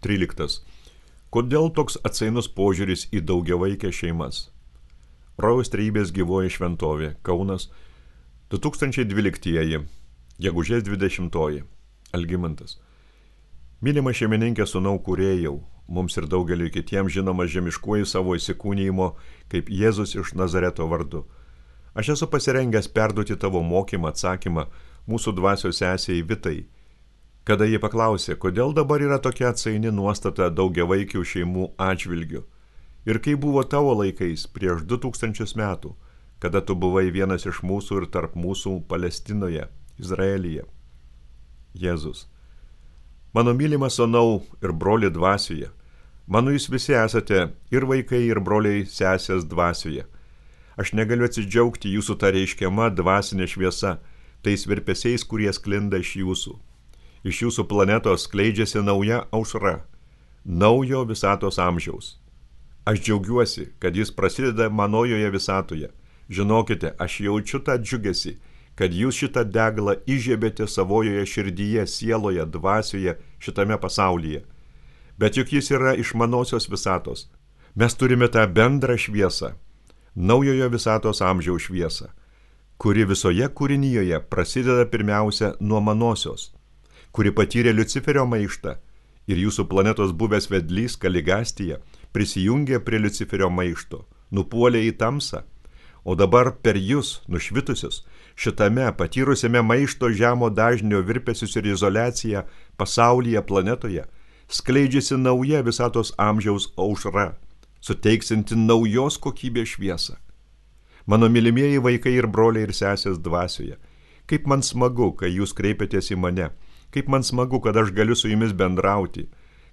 13. Kodėl toks atsainus požiūris į daugiavaikę šeimas? Rojaus Trejybės gyvoji šventovė, Kaunas, 2012, gegužės 20. Algimantas. Mylima šeimininkė sūnau kūrėjau, mums ir daugeliu kitiems žinomas žemiškuoju savo įsikūnijimo kaip Jėzus iš Nazareto vardu. Aš esu pasirengęs perduoti tavo mokymą atsakymą mūsų dvasios sesei Vitai, kada ji paklausė, kodėl dabar yra tokia atsaini nuostata daugiavaikių šeimų atžvilgių ir kaip buvo tavo laikais prieš 2000 metų, kada tu buvai vienas iš mūsų ir tarp mūsų Palestinoje, Izraelyje. Jėzus. Mano mylimas sūnau ir broli dvasioje, mano jūs visi esate ir vaikai, ir broliai sesės dvasioje. Aš negaliu atsidžiaugti jūsų tą reiškiama dvasinė šviesa, tais virpesiais, kurie sklinda iš jūsų. Iš jūsų planetos skleidžiasi nauja aušra, naujo visatos amžiaus. Aš džiaugiuosi, kad jis prasideda manojoje visatoje. Žinokite, aš jaučiu tą džiugesį, kad jūs šitą deglą įžiebėte savojoje širdyje, sieloje, dvasioje, šitame pasaulyje. Bet juk jis yra iš manosios visatos. Mes turime tą bendrą šviesą, naujojo visatos amžiaus šviesą, kuri visoje kūrinyje prasideda pirmiausia nuo manosios, kuri patyrė Liuciferio maištą ir jūsų planetos buvęs vedlys Kaligastija prisijungė prie Liuciferio maišto, nupuolė į tamsą, o dabar per jūs, nušvitusius, šitame patyrusiame maišto žemo dažnio virpesius ir izoliaciją pasaulyje, planetoje, skleidžiasi nauja visatos amžiaus aušra, suteiksinti naujos kokybės šviesą. Mano mylimieji vaikai ir broliai ir sesės dvasioje, kaip man smagu, kai jūs kreipiatės į mane, kaip man smagu, kad aš galiu su jumis bendrauti,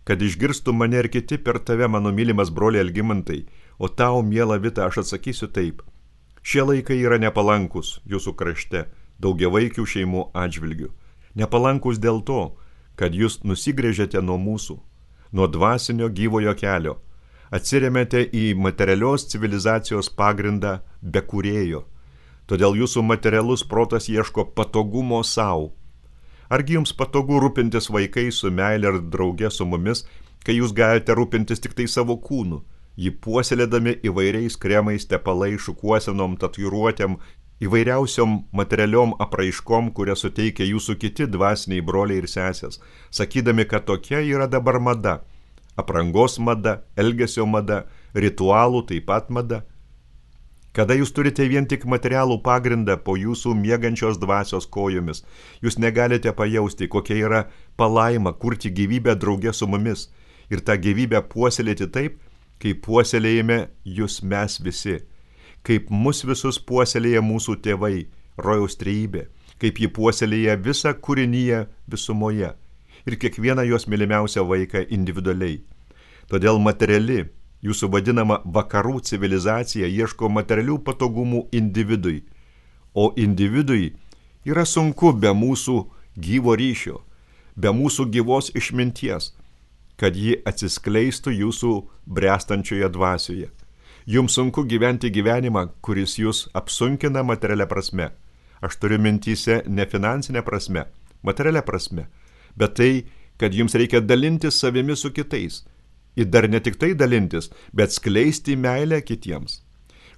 kad išgirstų mane ir kiti per tave, mano mylimas broliai Algimantai, o tau, miela Vita, aš atsakysiu taip. Šie laikai yra nepalankus jūsų krašte, daugiavaikių šeimų atžvilgių. Nepalankus dėl to, kad jūs nusigręžėte nuo mūsų, nuo dvasinio gyvojo kelio, atsiremėte į materialios civilizacijos pagrindą be kūrėjo. Todėl jūsų materialus protas ieško patogumo savo. Argi jums patogu rūpintis vaikais su meile ir drauge su mumis, kai jūs galite rūpintis tik tai savo kūnu, jį puoselėdami įvairiais kremais, tepalai, šukuosenom, tatuiruotėm, įvairiausiom materialiom apraiškom, kurias suteikia jūsų kiti dvasiniai broliai ir sesės, sakydami, kad tokia yra dabar mada, aprangos mada, elgesio mada, ritualų taip pat mada. Kada jūs turite vien tik materialų pagrindą po jūsų miegančios dvasios kojomis, jūs negalite pajausti, kokia yra palaima kurti gyvybę drauge su mumis ir tą gyvybę puoselėti taip, kaip puoselėjame jūs mes visi, kaip mus visus puoselėja mūsų tėvai, Rojaus Trejybė, kaip ji puoselėja visą kūrinyje visumoje ir kiekvieną jos mylimiausią vaiką individualiai. Todėl materiali, jūsų vadinama vakarų civilizacija ieško materialių patogumų individui, o individui yra sunku be mūsų gyvo ryšio, be mūsų gyvos išminties, kad ji atsiskleistų jūsų bręstančioje dvasioje. Jums sunku gyventi gyvenimą, kuris jūs apsunkina materialia prasme. Aš turiu mintyse ne finansinė prasme, materialia prasme, bet tai, kad jums reikia dalintis savimi su kitais. Ir dar ne tik tai dalintis, bet skleisti meilę kitiems.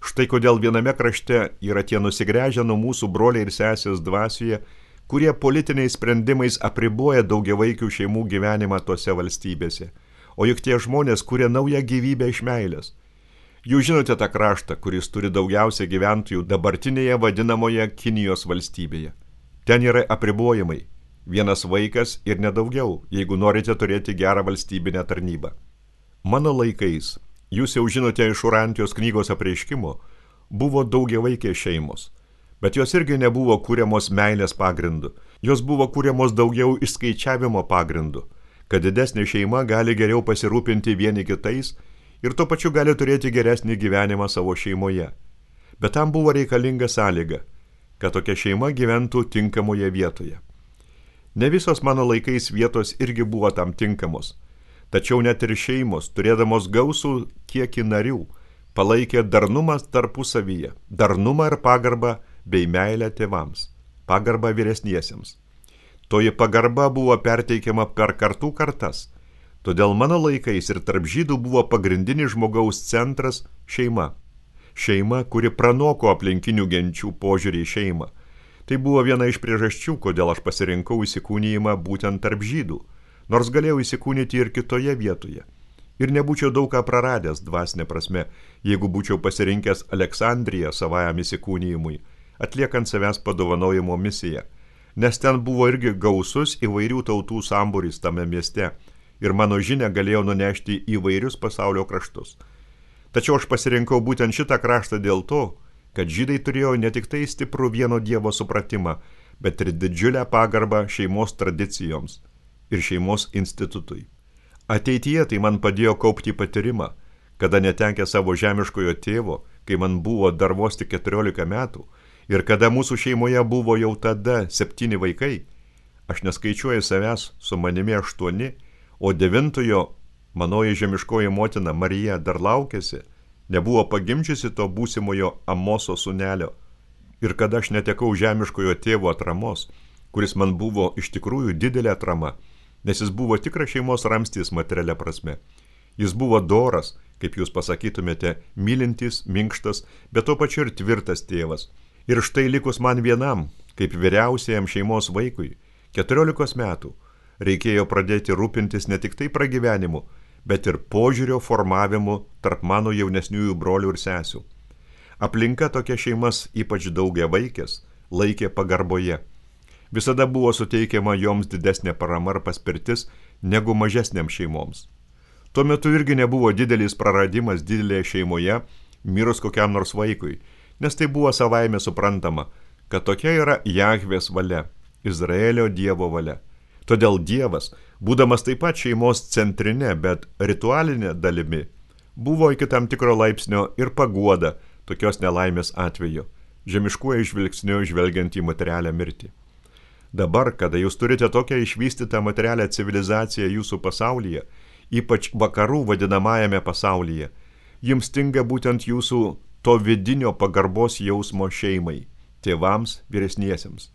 Štai kodėl viename krašte yra tie nusigręžę nuo mūsų broliai ir sesės dvasioje, kurie politiniais sprendimais apriboja daugiavaikių šeimų gyvenimą tose valstybėse. O juk tie žmonės kuria naują gyvybę iš meilės. Jūs žinote tą kraštą, kuris turi daugiausia gyventojų dabartinėje vadinamoje Kinijos valstybėje. Ten yra apribojimai. Vienas vaikas ir nedaugiau, jeigu norite turėti gerą valstybinę tarnybą. Mano laikais, jūs jau žinote iš Urantijos knygos apreiškimo, buvo daugiavaikės šeimos, bet jos irgi nebuvo kuriamos meilės pagrindu, jos buvo kuriamos daugiau išskaičiavimo pagrindu, kad didesnė šeima gali geriau pasirūpinti vieni kitais ir tuo pačiu gali turėti geresnį gyvenimą savo šeimoje. Bet tam buvo reikalinga sąlyga, kad tokia šeima gyventų tinkamoje vietoje. Ne visos mano laikais vietos irgi buvo tam tinkamos. Tačiau net ir šeimos, turėdamos gausų kiekį narių, palaikė darnumą tarpusavyje, darnumą ir pagarbą bei meilę tėvams, pagarbą vyresniesiems. Toji pagarba buvo perteikiama per kartų kartas, Todėl mano laikais ir tarp žydų buvo pagrindinis žmogaus centras šeima. Šeima, kuri pranoko aplinkinių genčių požiūrį į šeimą. Tai buvo viena iš priežasčių, kodėl aš pasirinkau įsikūnijimą būtent tarp žydų, nors galėjau įsikūnyti ir kitoje vietoje. Ir nebūčiau daug ką praradęs dvasinė prasme, jeigu būčiau pasirinkęs Aleksandriją savajam įsikūnijimui, atliekant savęs padovanojimo misiją, nes ten buvo irgi gausus įvairių tautų sambūris tame mieste ir mano žinią galėjau nunešti į įvairius pasaulio kraštus. Tačiau aš pasirinkau būtent šitą kraštą dėl to, kad žydai turėjo ne tik tai stiprų vieno Dievo supratimą, bet ir didžiulę pagarbą šeimos tradicijoms ir šeimos institutui. Ateityje tai man padėjo kaupti patyrimą, kada netekę savo žemiškojo tėvo, kai man buvo dar vos tik 14 metų, ir kada mūsų šeimoje buvo jau tada 7 vaikai, aš neskaičiuoju savęs, su manimi 8, o 9-ojo manoji žemiškoji motina Marija dar laukėsi, nebuvo pagimdžiusi to būsimojo Amoso sūnelio. Ir kada aš netekau žemiškojo tėvo atramos, kuris man buvo iš tikrųjų didelė atrama, nes jis buvo tikras šeimos ramstis materialia prasme. Jis buvo doras, kaip jūs pasakytumėte, mylintis, minkštas, bet tuo pačiu ir tvirtas tėvas. Ir štai likus man vienam, kaip vyriausiajam šeimos vaikui, 14 metų, reikėjo pradėti rūpintis ne tik tai pragyvenimu, bet ir požiūrio formavimu tarp mano jaunesniųjų brolių ir sesių. Aplinka tokia šeimas, ypač daugiavaikės, laikė pagarboje. Visada buvo suteikiama joms didesnė parama ar paspirtis negu mažesniam šeimoms. Tuo metu irgi nebuvo didelis praradimas didelėje šeimoje, mirus kokiam nors vaikui, nes tai buvo savaime suprantama, kad tokia yra Jahvės valia, Izraelio Dievo valia. Todėl Dievas, būdamas taip pat šeimos centrinė, bet ritualinė dalimi, buvo iki tam tikro laipsnio ir paguoda tokios nelaimės atveju, žemiškuoju žvilgsniu žvelgiant į materialią mirtį. Dabar, kada jūs turite tokią išvystytą materialią civilizaciją jūsų pasaulyje, ypač vakarų vadinamajame pasaulyje, jums stinga būtent jūsų to vidinio pagarbos jausmo šeimai, tėvams, vyresniesiems.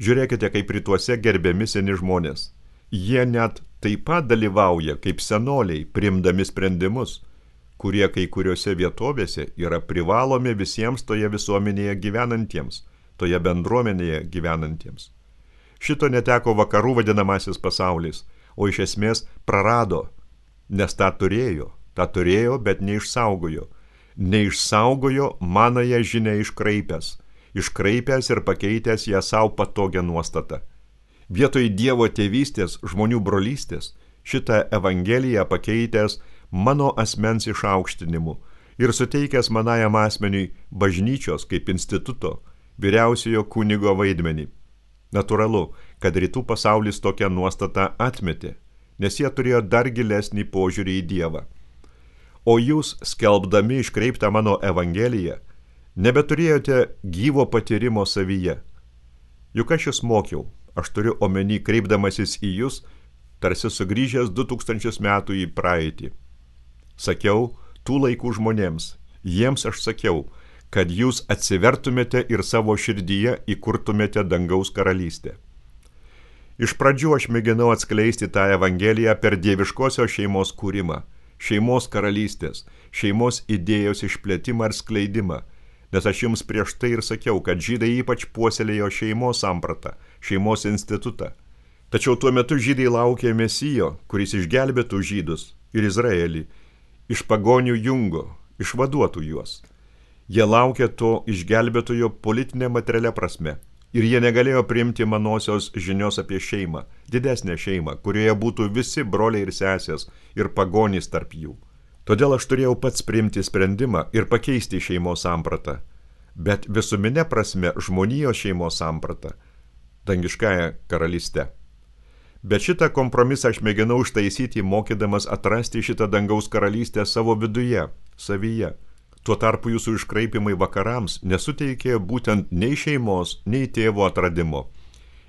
Žiūrėkite, kaip rytuose gerbiami seni žmonės. Jie net taip pat dalyvauja kaip senoliai, priimdami sprendimus, kurie kai kuriuose vietovėse yra privalomi visiems toje visuomenėje gyvenantiems, toje bendruomenėje gyvenantiems. Šito neteko vakarų vadinamasis pasaulis, o iš esmės prarado, nes tą turėjo, bet neišsaugojo. Neišsaugojo manąją žinią iškraipęs ir pakeitęs ją savo patogią nuostatą. Vietoj Dievo tėvystės, žmonių brolystės, šitą evangeliją pakeitęs mano asmens išaukštinimu ir suteikęs manajam asmeniui bažnyčios kaip instituto, vyriausiojo kunigo vaidmenį. Natūralu, kad rytų pasaulis tokią nuostatą atmetė, nes jie turėjo dar gilesnį požiūrį į Dievą. O jūs, skelbdami iškreiptą mano evangeliją, nebeturėjote gyvo patyrimo savyje. Juk aš jūs mokiau, aš turiu omeny kreipdamasis į jūs, tarsi sugrįžęs 2000 metų į praeitį. Sakiau tų laikų žmonėms, jiems aš sakiau, kad jūs atsivertumėte ir savo širdyje įkurtumėte dangaus karalystę. Iš pradžių aš mėginau atskleisti tą evangeliją per dieviškosios šeimos kūrimą, šeimos karalystės, šeimos idėjos išplėtimą ir skleidimą, nes aš jums prieš tai ir sakiau, kad žydai ypač puoselėjo šeimos sampratą, šeimos institutą. Tačiau tuo metu žydai laukė Mesijo, kuris išgelbėtų žydus ir Izraelį, iš pagonių jungo, išvaduotų juos. Jie laukė to išgelbėtojo politinė materialia prasme ir jie negalėjo priimti manosios žinios apie šeimą, didesnę šeimą, kurioje būtų visi broliai ir sesės ir pagonys tarp jų. Todėl aš turėjau pats priimti sprendimą ir pakeisti šeimos sampratą, bet visuminė prasme žmonijos šeimos sampratą, dangiškąją karalystę. Bet šitą kompromisą aš mėginau ištaisyti, mokydamas atrasti šitą dangaus karalystę savo viduje, savyje. Tuo tarpu jūsų iškraipimai vakarams nesuteikė būtent nei šeimos, nei tėvo atradimo.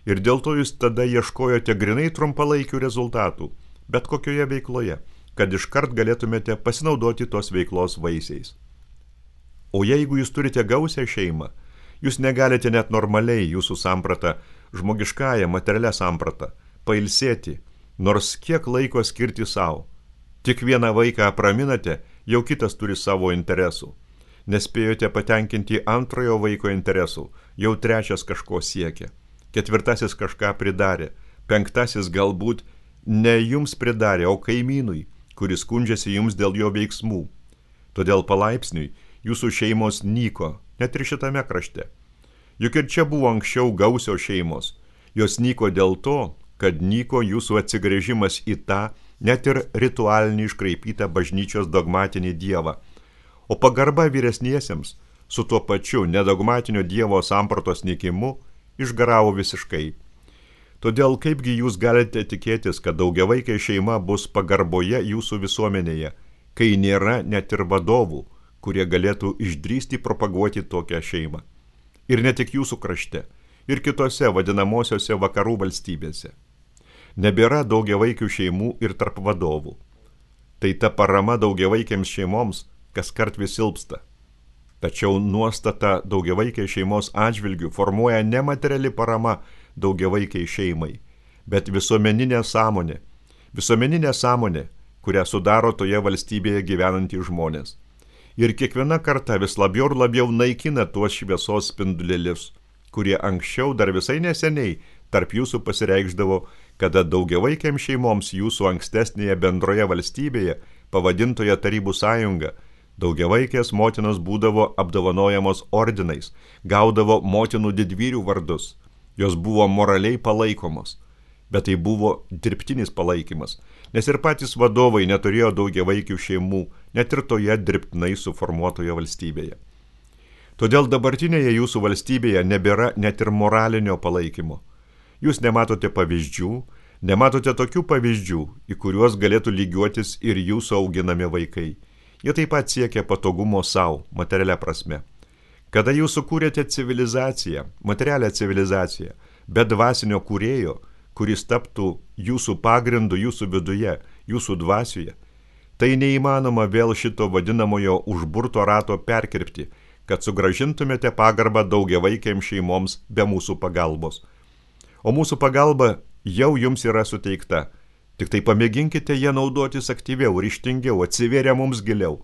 Ir dėl to jūs tada ieškojote grinai trumpalaikių rezultatų, bet kokioje veikloje, kad iškart galėtumėte pasinaudoti tos veiklos vaisiais. O jeigu jūs turite gausią šeimą, jūs negalite net normaliai jūsų sampratą, žmogiškąją materialią sampratą, pailsėti, Nors kiek laiko skirti savo. Tik vieną vaiką apraminate, jau kitas turi savo interesų. Nespėjote patenkinti antrojo vaiko interesų, jau trečias kažko siekia. Ketvirtasis kažką pridarė, penktasis galbūt ne jums pridarė, o kaimynui, kuris skundžiasi jums dėl jo veiksmų. Todėl palaipsniui jūsų šeimos nyko, net ir šitame krašte. Juk ir čia buvo anksčiau gausios šeimos. Jos nyko dėl to, kad nyko jūsų atsigręžimas į tą, net ir ritualinį iškraipytą bažnyčios dogmatinį dievą. O pagarba vyresniesiems su tuo pačiu nedogmatinio dievo sampratos nykimu išgaravo visiškai. Todėl kaipgi jūs galite tikėtis, kad daugiavaikė šeima bus pagarboje jūsų visuomenėje, kai nėra net ir vadovų, kurie galėtų išdrįsti propaguoti tokią šeimą. Ir ne tik jūsų krašte, ir kitose vadinamosiose vakarų valstybėse. Nebėra daugiavaikių šeimų ir tarp vadovų. Tai ta parama daugiavaikiams šeimoms kaskart vis silpsta. Tačiau nuostata daugiavaikiai šeimos atžvilgių formuoja ne materiali parama daugiavaikiai šeimai, bet visuomeninė sąmonė. Visuomeninė sąmonė, kurią sudaro toje valstybėje gyvenantys žmonės. Ir kiekviena karta vis labiau ir labiau naikina tuos šviesos spindulėlius, kurie anksčiau dar visai neseniai tarp jūsų pasireikšdavo, kada daugiavaikiams šeimoms jūsų ankstesnėje bendroje valstybėje, pavadintoje Tarybų sąjunga, daugiavaikės motinos būdavo apdovanojamos ordinais, gaudavo motinų didvyrių vardus. Jos buvo moraliai palaikomos, bet tai buvo dirbtinis palaikymas, nes ir patys vadovai neturėjo daugiavaikių šeimų, net ir toje dirbtinai suformuotoje valstybėje. Todėl dabartinėje jūsų valstybėje nebėra net ir moralinio palaikymo. Jūs nematote pavyzdžių, nematote tokių pavyzdžių, į kuriuos galėtų lygiuotis ir jūsų auginami vaikai. Jie taip pat siekia patogumo savo, materialia prasme. Kada jūs sukūrėte civilizaciją, materialią civilizaciją, be dvasinio kūrėjo, kuris taptų jūsų pagrindu jūsų viduje, jūsų dvasioje, tai neįmanoma vėl šito vadinamojo užburto rato perkirpti, kad sugrąžintumėte pagarbą daugiavaikiams šeimoms be mūsų pagalbos. O mūsų pagalba jau jums yra suteikta. Tik tai pamėginkite ją naudotis aktyviau, ryžtingiau, atsivėrę mums giliau.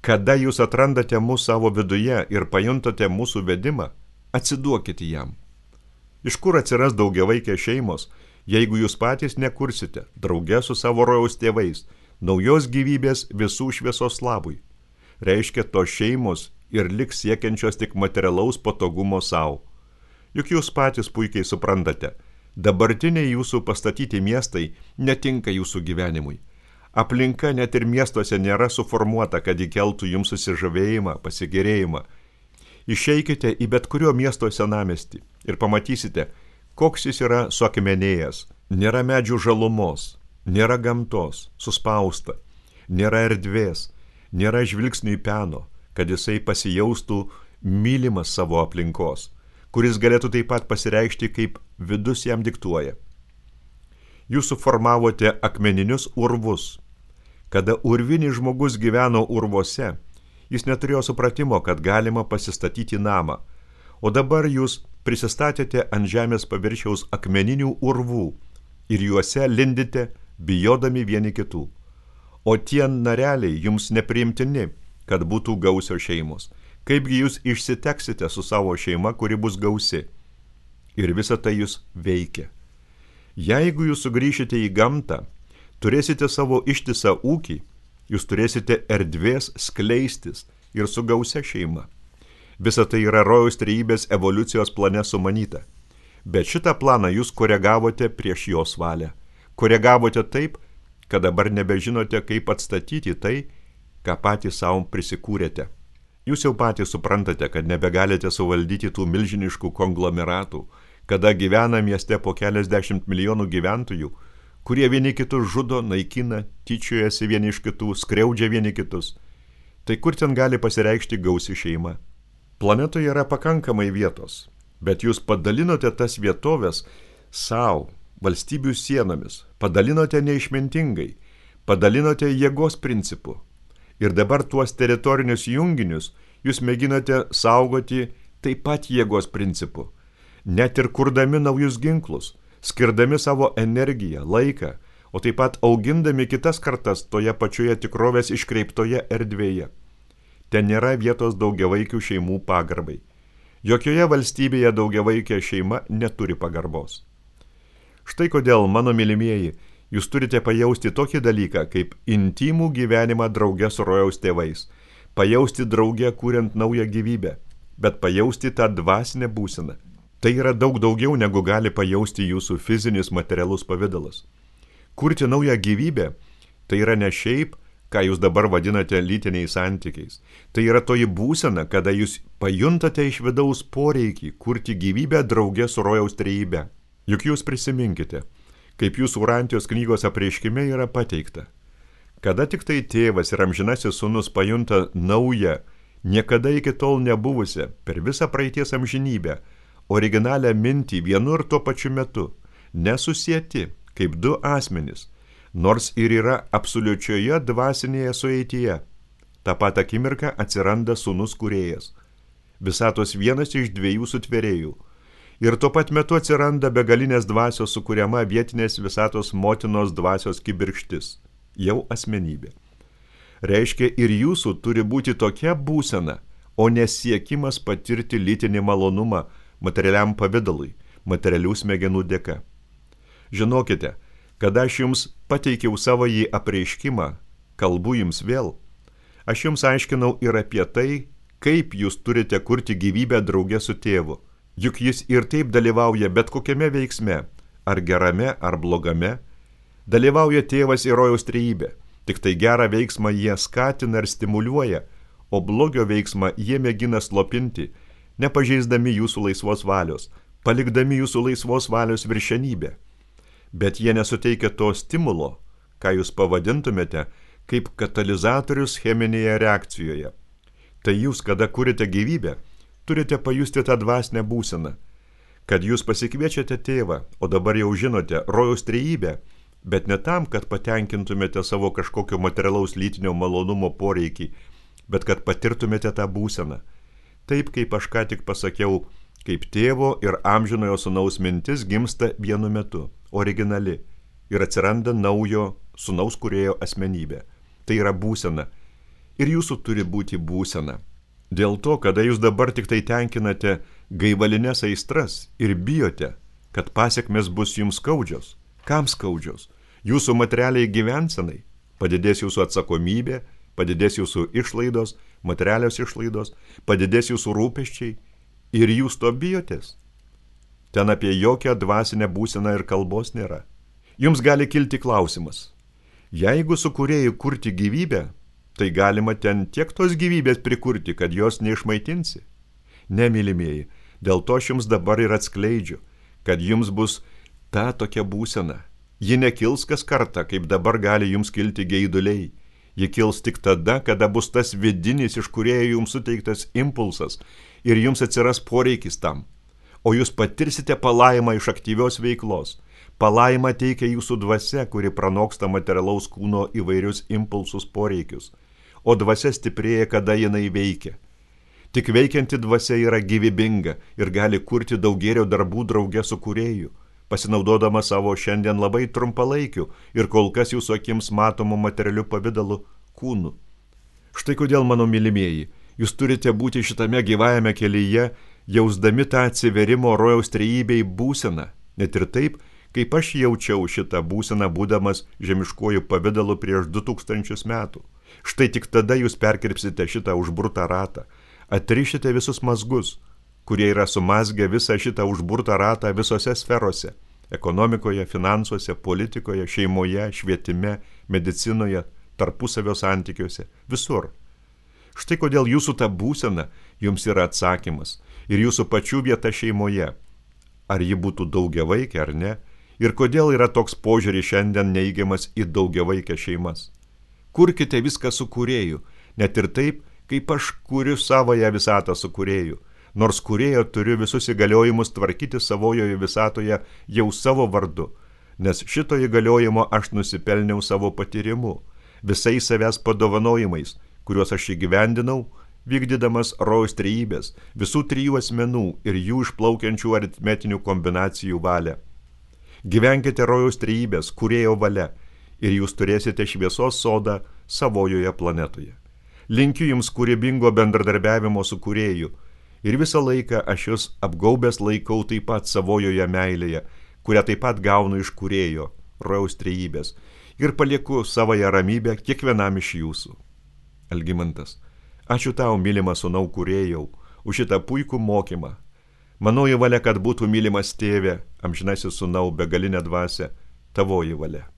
Kada jūs atrandate mūsų savo viduje ir pajuntate mūsų vedimą, atsiduokite jam. Iš kur atsiras daugiavaikės šeimos, jeigu jūs patys nekursite, drauge su savo rojaus tėvais, naujos gyvybės visų šviesos labui? Reiškia, tos šeimos ir liks siekiančios tik materialaus patogumo savo. Juk jūs patys puikiai suprantate, dabartiniai jūsų pastatyti miestai netinka jūsų gyvenimui. Aplinka net ir miestuose nėra suformuota, kad įkeltų jums susižavėjimą, pasigėrėjimą. Išeikite į bet kurio miesto senamiestį ir pamatysite, koks jis yra suakmenėjęs. Nėra medžių žalumos, nėra gamtos, suspausta, nėra erdvės, nėra žvilgsniui peno, kad jisai pasijaustų mylimas savo aplinkos, kuris galėtų taip pat pasireikšti, kaip vidus jam diktuoja. Jūs suformavote akmeninius urvus. Kada urvinis žmogus gyveno urvuose, jis neturėjo supratimo, kad galima pasistatyti namą, o dabar jūs prisistatėte ant žemės paviršiaus akmeninių urvų ir juose lindite, bijodami vieni kitų. O tie nareliai jums nepriimtini, kad būtų gausios šeimos. Kaipgi jūs išsiteksite su savo šeima, kuri bus gausi. Ir visa tai jūs veikia. Jeigu jūs sugrįšite į gamtą, turėsite savo ištisą ūkį, jūs turėsite erdvės skleistis ir su gausia šeima. Visa tai yra rojaus trejybės evoliucijos plane sumanyta. Bet šitą planą jūs koregavote prieš jos valią. Koregavote taip, kad dabar nebežinote, kaip atstatyti tai, ką patys savo prisikūrėte. Jūs jau patys suprantate, kad nebegalite suvaldyti tų milžiniškų konglomeratų, kada gyvena mieste po keliasdešimt milijonų gyventojų, kurie vieni kitus žudo, naikina, tyčiojasi vieni iš kitų, skriaudžia vieni kitus. Tai kur ten gali pasireikšti gausi šeima? Planetoje yra pakankamai vietos, bet jūs padalinote tas vietovės savo, valstybių sienomis, padalinote neišmintingai, padalinote jėgos principu. Ir dabar tuos teritorinius junginius jūs mėginate saugoti taip pat jėgos principu. Net ir kurdami naujus ginklus, skirdami savo energiją, laiką, o taip pat augindami kitas kartas toje pačioje tikrovės iškreiptoje erdvėje. Ten nėra vietos daugiavaikių šeimų pagarbai. Jokioje valstybėje daugiavaikė šeima neturi pagarbos. Štai kodėl, mano mylimieji, jūs turite pajausti tokį dalyką, kaip intimų gyvenimą drauge su rojaus tėvais, pajausti drauge kuriant naują gyvybę, bet pajausti tą dvasinę būseną. Tai yra daug daugiau, negu gali pajausti jūsų fizinis materialus pavidalas. Kurti naują gyvybę, tai yra ne šiaip, ką jūs dabar vadinate lytiniais santykiais. Tai yra toji būsena, kada jūs pajuntate iš vidaus poreikį kurti gyvybę drauge su rojaus trejybe. Juk jūs prisiminkite, kaip jūsų Urantijos knygos apreiškime yra pateikta. Kada tik tai tėvas ir amžinasis sūnus pajunta naują, niekada iki tol nebuvusią, per visą praeities amžinybę, originalią mintį vienu ir tuo pačiu metu, nesusieti kaip du asmenys, nors ir yra absoliučioje dvasinėje sueityje. Ta pat akimirka atsiranda sūnus kūrėjas, visatos vienas iš dviejų sutvėrėjų. Ir tuo pat metu atsiranda begalinės dvasios sukuriama vietinės visatos motinos dvasios kibirkštis, jau asmenybė. Reiškia, ir jūsų turi būti tokia būsena, o nesiekimas patirti lytinį malonumą materialiam pavidalui, materialių smegenų dėka. Žinokite, kada aš jums pateikiau savo jį apreiškimą, kalbu jums vėl, aš jums aiškinau ir apie tai, kaip jūs turite kurti gyvybę drauge su tėvu. Juk jis ir taip dalyvauja bet kokiame veiksme, ar gerame, ar blogame. Dalyvauja tėvas ir rojaus trejybė, tik tai gerą veiksmą jie skatina ir stimuliuoja, o blogio veiksmą jie mėgina slopinti, nepažeisdami jūsų laisvos valios, palikdami jūsų laisvos valios viršenybę. Bet jie nesuteikia to stimulo, ką jūs pavadintumėte, kaip katalizatorius cheminėje reakcijoje. Tai jūs, kada kurite gyvybę, turite pajusti tą dvasinę būseną, kad jūs pasikviečiate tėvą, o dabar jau žinote rojaus trejybę, bet ne tam, kad patenkintumėte savo kažkokio materialaus lytinio malonumo poreikį, bet kad patirtumėte tą būseną. Taip, kaip aš ką tik pasakiau, kaip tėvo ir amžinojo sūnaus mintis gimsta vienu metu, originali, ir atsiranda naujo sūnaus kūrėjo asmenybė. Tai yra būsena. Ir jūsų turi būti būsena. Dėl to, kada jūs dabar tik tai tenkinate gaivalines aistras ir bijote, kad pasekmės bus jums skaudžios. Kam skaudžios? Jūsų materialiai gyvensenai. Padidės jūsų atsakomybė, padidės jūsų išlaidos, materialios išlaidos, padidės jūsų rūpesčiai ir jūs to bijotės. Ten apie jokią dvasinę būseną ir kalbos nėra. Jums gali kilti klausimas. Jeigu su kūrėju kurti gyvybę, tai galima ten tiek tos gyvybės prikurti, kad jos neišmaitinsi. Ne, mylimieji, dėl to aš jums dabar ir atskleidžiu, kad jums bus ta tokia būsena. Ji nekils kas kartą, kaip dabar gali jums kilti geiduliai. Ji kils tik tada, kada bus tas vidinis iš kūrėjo jums suteiktas impulsas ir jums atsiras poreikis tam. O jūs patirsite palaimą iš aktyvios veiklos. Palaimą teikia jūsų dvasia, kuri pranoksta materialaus kūno įvairius impulsus poreikius. O dvasia stiprėja, kada jinai veikia. Tik veikianti dvasia yra gyvybinga ir gali kurti daug gėrio darbų drauge su kūrėju, pasinaudodama savo šiandien labai trumpalaikiu ir kol kas jūsų akims matomu materialiu pavidalu kūnu. Štai kodėl, mano mylimieji, jūs turite būti šitame gyvajame kelyje, jausdami tą atsiverimo rojaus trejybei būseną, net ir taip, kaip aš jaučiau šitą būseną būdamas žemiškuoju pavidalu prieš 2000 metų. Štai tik tada jūs perkirpsite šitą užburtą ratą, atrišite visus mazgus, kurie yra sumazgę visą šitą užburtą ratą visose sferose – ekonomikoje, finansuose, politikoje, šeimoje, švietime, medicinoje, tarpusavio santykiuose, visur. Štai kodėl jūsų ta būsena jums yra atsakymas ir jūsų pačių vieta šeimoje, ar ji būtų daugiavaikė ar ne, ir kodėl yra toks požiūris šiandien neigiamas į daugiavaikę šeimas. Kurkite viską su kūrėju, net ir taip, kaip aš kuriu savoje visatą su kūrėju, nors kūrėjo turiu visus įgaliojimus tvarkyti savojoje visatoje jau savo vardu, nes šito įgaliojimo aš nusipelniau savo patyrimu, visais savęs padovanojimais, kuriuos aš įgyvendinau, vykdydamas rojaus trejybės, visų trijų asmenų ir jų išplaukiančių aritmetinių kombinacijų valią. Gyvenkite rojaus trejybės, kūrėjo valia, ir jūs turėsite šviesos sodą savojoje planetoje. Linkiu jums kūrybingo bendradarbiavimo su kūrėju ir visą laiką aš jūs apgaubęs laikau taip pat savojoje meilėje, kurią taip pat gaunu iš kūrėjo, rojaus trejybės, ir palieku savąją ramybę kiekvienam iš jūsų. Algimantas: ačiū tau, mylimas sūnau kūrėjau, už šitą puikų mokymą. Manoji valia, kad būtų mylimas tėve, amžinasis sūnau, begalinė dvasia, tavoji valia.